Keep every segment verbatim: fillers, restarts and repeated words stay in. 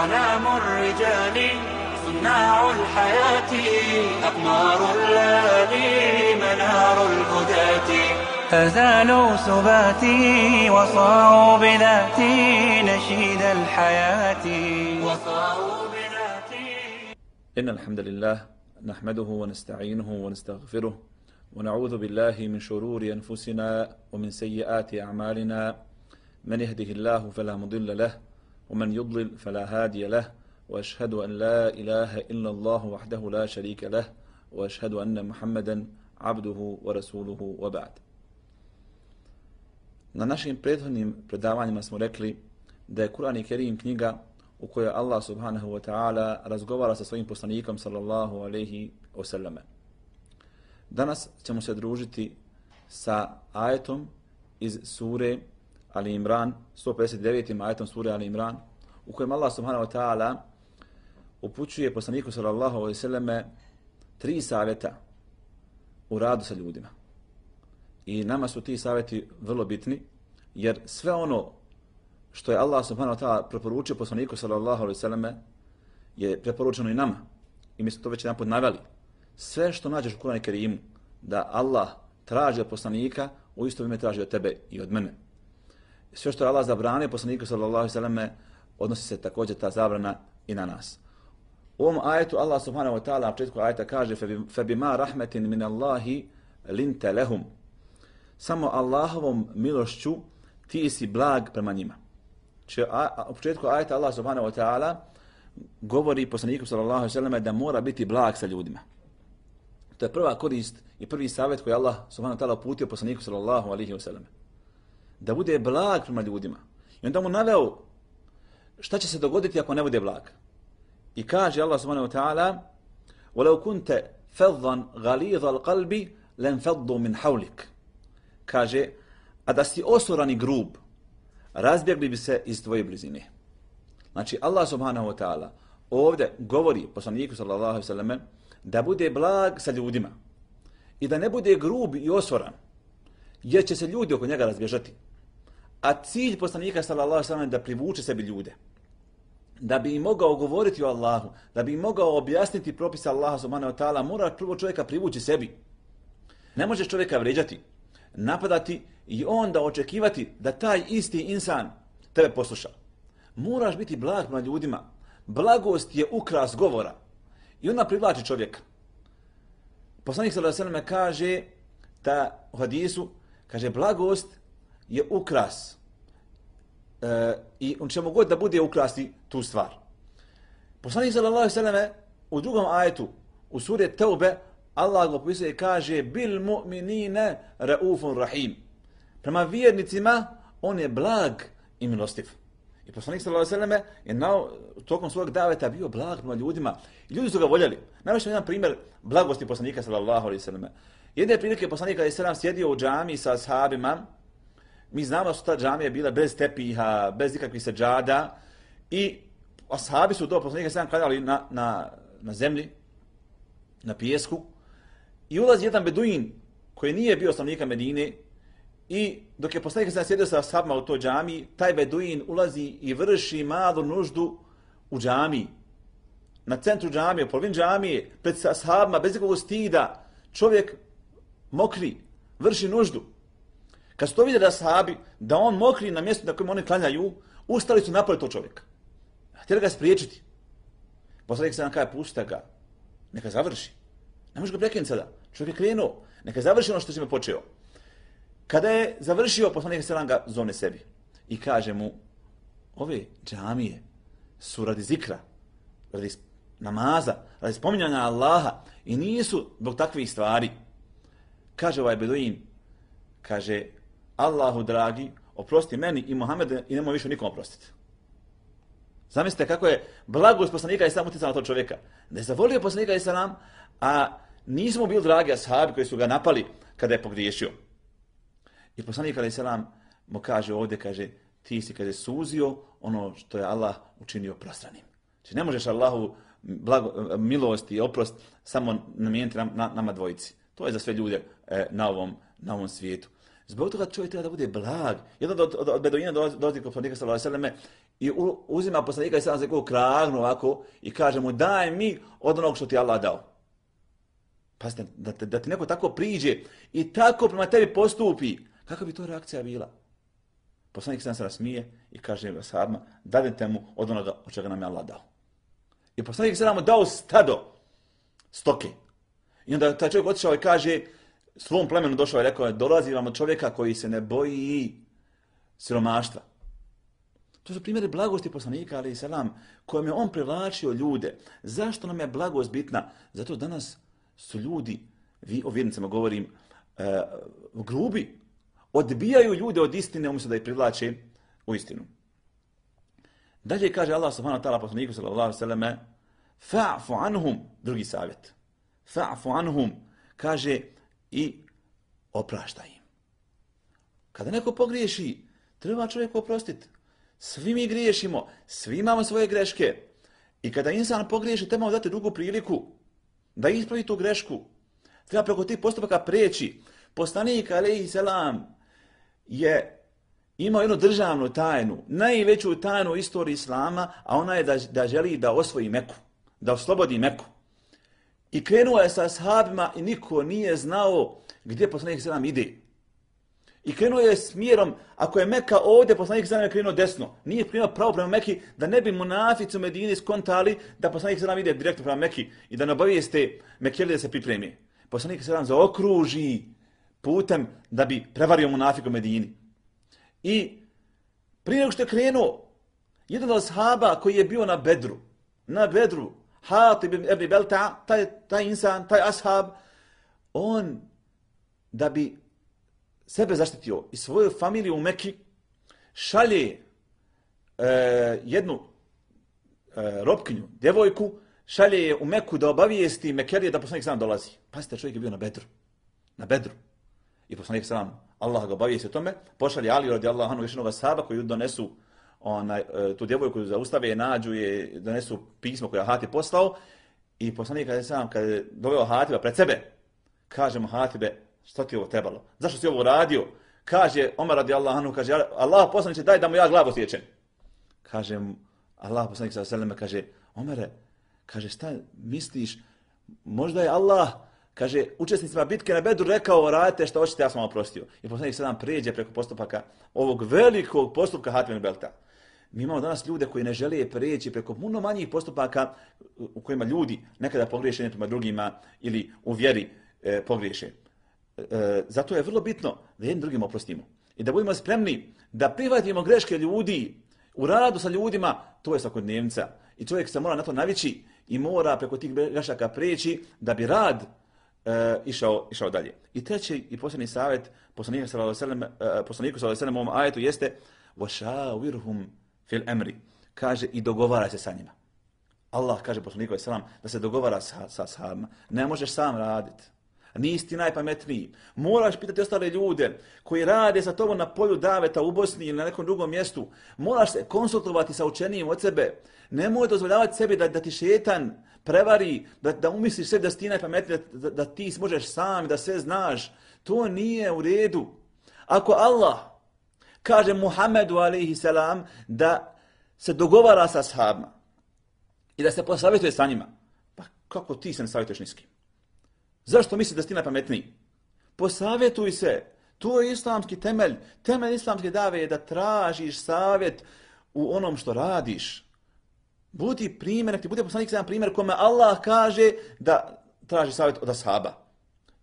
أعلام الرجال صناع الحياة أقمار الليالي منار الهداة فزالوا سباتي وصاروا بذاتي نشيد الحياة وصاروا بذاتي. إن الحمد لله نحمده ونستعينه ونستغفره ونعوذ بالله من شرور أنفسنا ومن سيئات أعمالنا من يهده الله فلا مضل له ومن يضلل فلا هادي له وأشهد أن لا إله إلا الله وحده لا شريك له وأشهد أن محمدا عبده ورسوله وبعد. Na našim prethodnim predavanjima smo rekli da je Kur'an i Kerim knjiga u kojoj Allah subhanahu wa ta'ala razgovara sa svojim poslanikom sallallahu alaihi wasallam. Danas ćemo se družiti sa ajetom iz sure Ali Imran, sto pedeset devetim ajetom sure Ali Imran, u kojem Allah subhanahu wa ta'ala upućuje poslaniku sallallahu alaihi wasallam tri savjeta u radu sa ljudima. I nama su ti savjeti vrlo bitni, jer sve ono što je Allah subhanahu wa ta'ala preporučio poslaniku sallallahu alaihi wasallam je preporučeno i nama. I mi smo to već jedanput naveli. Sve što nađeš u Kur'anu i Kerimu da Allah traži od poslanika, u isto vrijeme traži od tebe i od mene. Sve što je Allah zabranio poslaniku sallallahu alaihi wasallam odnosi se također ta zabrana i na nas. U ovom ajetu Allah subhanahu wa ta'ala na početku ajeta kaže فَبِمَا رَحْمَةٍ مِنَ اللَّهِ لِنْتَ لَهُمْ. Samo Allahovom milošću ti si blag prema njima. Če, a, u početku ajeta Allah subhanahu wa ta'ala govori poslaniku sallallahu alaihi wasallam da mora biti blag sa ljudima. To je prva korist i prvi savjet koji Allah subhanahu wa ta'ala uputio poslaniku sallallahu alaihi wasallam. Da bude blag prema ljudima. I onda mu naveo šta će se dogoditi ako ne bude blag. I kaže Allah subhanahu wa ta'ala وَلَوْ كُنْتَ فَضًّا غَلِيظَ الْقَلْبِ لَنْفَضُّوا مِنْ حَوْلِكَ. Kaže, a da si osoran i grub, razbjegli bi se iz tvoje blizine. Znači, Allah subhanahu wa ta'ala ovdje govori poslaniku sallallahu alaihi wasallam da bude blag sa ljudima i da ne bude grub i osoran, jer će se ljudi oko njega razbježati. A cilj poslanika sallallahu alaihi wasallam je da privuče sebi ljude, da bi im mogao govoriti o Allahu, da bi im mogao objasniti propise Allaha subhanahu wa ta'ala, mora prvo čovjeka privući sebi. Ne možeš čovjeka vređati, napadati i onda očekivati da taj isti insan tebe posluša. Moraš biti blag prema ljudima. Blagost je ukras govora i ona privlači čovjeka. Poslanik sallallahu alejhi ve sellem kaže da u hadisu, kaže blagost je ukras e, i on čemu god da bude ukrasti tu stvar. Poslanik sallallahu alejhi ve sellem u drugom ajetu u suri Teube Allah ga opisuje i kaže bil mu'minine raufun rahim. Prema vjernicima on je blag i milostiv. I poslanik sallallahu alejhi ve sellem je na tokom svog daveta bio blag prema ljudima. I ljudi su ga voljeli. Navešću jedan primjer blagosti poslanika sallallahu alejhi ve sellem. Jedne prilike poslanik alejhi selam sjedio u džamii sa ashabima. Mi znamo da su ta džamije bile bez tepiha, bez ikakvih seđada i ashabi su do poslanika alejhi selam klanjali na, na, na zemlji, na pijesku. I ulazi jedan beduin koji nije bio stanovnika Medine i dok je poslanik sam sjedio sa ashabima u toj džamiji, taj beduin ulazi i vrši malu nuždu u džamiji. Na centru džamije, u polovini džamije, pred ashabima, bez nekog stida, čovjek mokri, vrši nuždu. Kad su to vidjeli ashabi, da on mokri na mjestu na kojem oni klanjaju, ustali su napoli tog čovjeka. Htjeli ga spriječiti. Poslanik sam kaže, pusta ga, neka završi. Ne može ga prekinuti sada. Čovjek je krenuo. Neka završi ono što si me počeo. Kada je završio, poslanik selam ga zove sebi. I kaže mu, ove džamije su radi zikra, radi namaza, radi spominjanja Allaha i nisu zbog takvih stvari. Kaže ovaj beduin, kaže, Allahu dragi, oprosti meni i Muhammedu i nemoj više nikom oprostiti. Zamislite kako je blagost poslanika i sam utjecao na tog čovjeka. Da je zavolio poslanika i salam, a nisu mu bili dragi ashabi koji su ga napali kada je pogriješio. I poslanik alejhi selam mu kaže ovdje, kaže, ti si kada je suzio ono što je Allah učinio prostranim. Znači ne možeš Allahu blago, milost i oprost samo namijeniti nam, na, nama dvojici. To je za sve ljude e, na, ovom, na ovom svijetu. Zbog toga čovjek treba da bude blag. Jedan od, od, od beduina dolazi kod poslanika sallallahu alejhi ve selleme i u, uzima poslanika i sam se kao kragnu ovako i kaže mu daj mi od onog što ti Allah dao. Pazite, da, da, da ti neko tako priđe i tako prema tebi postupi, kakva bi to reakcija bila? Poslanik sam se nasmije i kaže ashabima, dadite mu od onoga od čega nam je Allah dao. I poslanik se nam dao stado stoke. I onda taj čovjek otišao i kaže, svom plemenu došao i rekao, dolazi vam od čovjeka koji se ne boji siromaštva. To su primjeri blagosti poslanika, alejhi selam, kojim je on privlačio ljude. Zašto nam je blagost bitna? Zato danas su ljudi, vi o vjernicama govorim, e, grubi, odbijaju ljude od istine umjesto da ih privlače u istinu. Dalje kaže Allah subhanahu wa ta'ala poslaniku sallallahu alejhi ve selleme, fa'fu anhum, drugi savjet. Fa'fu anhum, kaže i opraštaj im. Kada neko pogriješi, treba čovjeku oprostiti. Svi mi griješimo, svi imamo svoje greške. I kada insan pogriješi, treba mu dati drugu priliku da ispravi tu grešku. Treba preko tih postupaka preći. Poslanik alejhi selam je imao jednu državnu tajnu, najveću tajnu u istoriji Islama, a ona je da, da želi da osvoji Meku, da oslobodi Meku. I krenuo je sa ashabima i niko nije znao gdje poslanik selam ide. I krenuo je smjerom, ako je Meka ovdje, poslanik selam je krenuo desno. Nije krenuo pravo prema Meki, da ne bi munafici u Medini skontali da poslanik selam ide direktno prema Meki i da ne obavijeste Mekijeli da se pripremi. Poslanik selam zaokruži putem da bi prevario munafika u Medini. I prije nego što je krenuo, jedan od ashaba koji je bio na Bedru, na Bedru, Hatib ibn Belta, taj, taj insan, taj ashab, on da bi sebe zaštitio i svoju familiju u Meki, šalje e, jednu e, robkinju, djevojku, šalje je u Meku da obavijesti Mekelije da poslanik selam dolazi. Pazite, čovjek je bio na Bedru. Na Bedru. I poslanik selam, Allah ga obavijesti o tome, pošalje Ali radijallahu anhu još jednog ashaba koji donesu onaj, tu djevojku, zaustave je, nađu je, donesu pismo koje je Hatib poslao i poslanik selam kad je doveo Hatiba pred sebe, kaže mu Hatibe, što ti ovo trebalo? Zašto si ovo radio? Kaže Omer radijallahu anhu, kaže Allah poslaniče daj da mu ja glavu sjećem. Kaže mu Allah poslanik sallallahu alejhi ve sellem, kaže Omere, kaže šta misliš? Možda je Allah, kaže učesnicima bitke na Bedru rekao radite što hoćete, ja sam vam oprostio. I poslanik selam pređe preko postupaka ovog velikog postupka Hatib ibn Belta. Mi imamo danas ljude koji ne žele preći preko puno manjih postupaka u kojima ljudi nekada pogriješe prema drugima ili u vjeri e, pogriješe. E, zato je vrlo bitno da jednim drugim oprostimo i da budemo spremni da prihvatimo greške ljudi u radu sa ljudima, to je svakodnevnica i čovjek se mora na to navići i mora preko tih grešaka preći da bi rad e, išao, išao dalje. I treći i posljednji savjet poslanika sallallahu alejhi ve sellem, e, poslaniku sallallahu alejhi ve sellem u ovom ajetu jeste وَشَاوِرْهُمْ fil emri, kaže i dogovara se sa njima. Allah kaže poslaniku alejhi ve sellem da se dogovara sa, sa ashabima. Ne možeš sam raditi. Nisi ti najpametniji. Moraš pitati ostale ljude koji rade sa tobom na polju daveta u Bosni ili na nekom drugom mjestu. Moraš se konsultovati sa učenijim od sebe. Nemoj dozvoljavati sebi da, da ti šetan prevari, da, da umisliš sebi da si ti najpametniji, da, da ti možeš sam, da sve znaš. To nije u redu. Ako Allah kaže Muhammedu alejhi selam da se dogovara sa ashabima i da se posavjetuje sa njima, pa kako ti se ne savjetuješ ni s kim? Zašto misliš da si ti najpametniji? Posavjetuj se. To je islamski temelj. Temelj islamske dave je da tražiš savjet u onom što radiš. Budi primjer, nek ti bude poslanik jedan primjer kome Allah kaže da traži savjet od ashaba.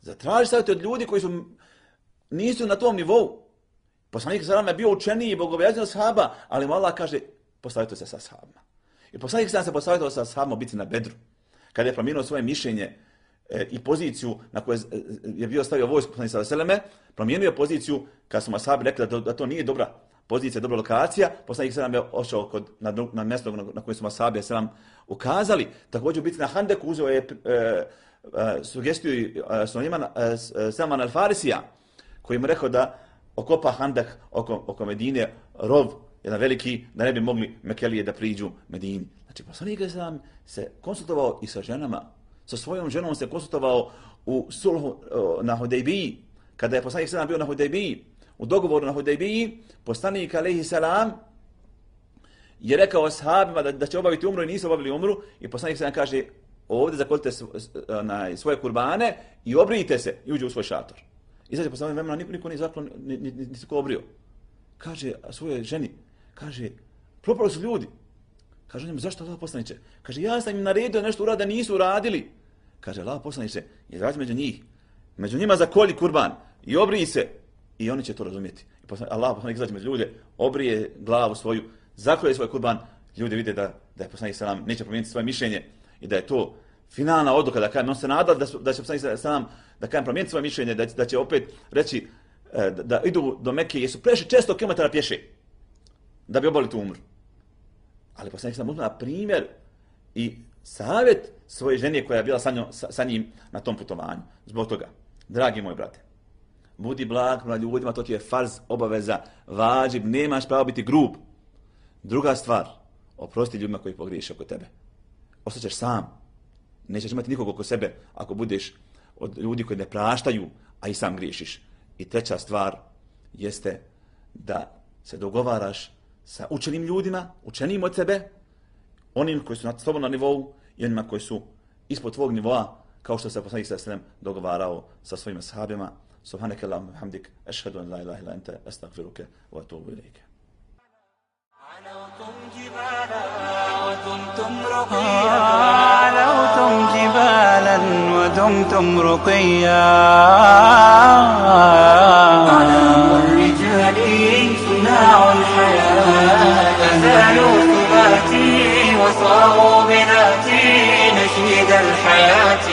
Zatraži savjet od ljudi koji su nisu na tom nivou. Poslanik sallallahu je bio učeniji i bogobojazniji od ashaba, ali mu Allah kaže posavjetuj se sa ashabima. I poslanik sallallahu se posavjetovao sa ashabima biti na Bedru. Kada je promijenio svoje mišljenje i poziciju na kojoj je bio stavio vojsku poslanik sallallahu alejhi ve selleme, promijenio poziciju kad su ashabi rekli da to, da to nije dobra pozicija, dobra lokacija, poslanik sallallahu je ošao kod na, na mjesto na, na kojem su ashabi sallallahu ukazali. Također biti na Handeku uzeo je e, e, sugestiju e, Sulejman e, Salman al-Farisija koji mu rekao da okopa Handak oko, oko Medine, rov, jedan veliki, da ne bi mogli Mekelije da priđu Medini. Znači, poslanik sallallahu se konsultovao i sa ženama. Sa svojom ženom se konsultovao u sulhu na Hudejbiji, kada je poslanik sallallahu bio na Hudejbiji u dogovoru na Hudejbiji, poslanik alejhi selam je rekao ashabima da, da će obaviti umru i nisu obavili umru i poslanik selam kaže ovdje zakolite na svoje kurbane i obrijte se i uđe u svoj šator. Izađe posle vremena, niko, niko nije zaklon, nisi ko obrio. Kaže svoje ženi, kaže, propali su ljudi. Kaže njemu, zašto Allah poslaniče? Kaže, ja sam im naredio nešto urada, nisu uradili. Kaže, Allah poslaniče, izađi među njih, među njima zakolji kurban i obriji se i oni će to razumjeti. I poslanik, Allah poslanik izađe među ljude, obrije glavu svoju, zakolje svoj kurban, ljudi vide da, da je poslanik selam neće promijeniti svoje mišljenje i da je to finalna odluka, da kažem, on se nadal da, da će poslanik selam da kažem promijeniti svoje mišljenje, da, da će opet reći da, da idu do Mekke jer su prešli često kilometara pješe da bi obavili tu umru. Ali poslanik selam uzme na primjer i savjet svoje žene koja je bila sa, njom, sa, sa njim na tom putovanju. Zbog toga, dragi moji brate, budi blag prema ljudima, to ti je farz, obaveza, vađib, nemaš pravo biti grub. Druga stvar, oprosti ljudima koji pogriješe oko tebe. Ostaćeš sam. Nećeš imati nikog oko sebe ako budeš od ljudi koji ne praštaju, a i sam griješiš. I treća stvar jeste da se dogovaraš sa učenim ljudima, učenim od sebe, onim koji su na tobom na nivou i onima koji su ispod tvog nivoa, kao što se poslanik sallallahu alejhi ve sellem dogovarao sa svojim ashabima. Subhanaka Allahumma hamdik, ashhadu an la ilaha illa anta, astaghfiruka wa atubu ilayk. علوتم جبالا ودمتم رقيا علوتم جبالا ودمتم رقيا أعلام الرجال صناع الحياة أزالوا ثباتي وصاروا بذاتي نشيد الحياة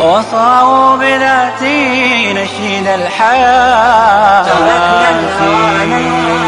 وصاروا بذاتي نشيد الحياة تركنا الهوى